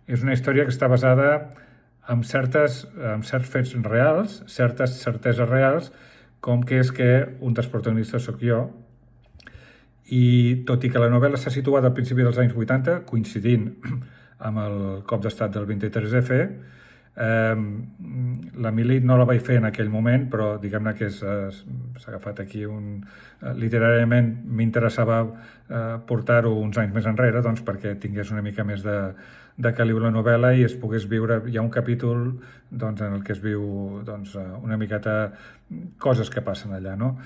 És una història que està basada en certs fets reals, certes certeses reals, com que és que un dels protagonistes sóc jo, i tot i que la novel·la s'ha situat al principi dels anys 80, coincidint amb el cop d'estat del 23F, la mili no la vaig fer en aquell moment, però diguem-ne que s'ha agafat aquí literàriament m'interessava portar-ho uns anys més enrere, doncs perquè tingués una mica més de caliu la novel·la i es pogués viure. Hi ha un capítol en el que es viu una miqueta coses que passen allà, no?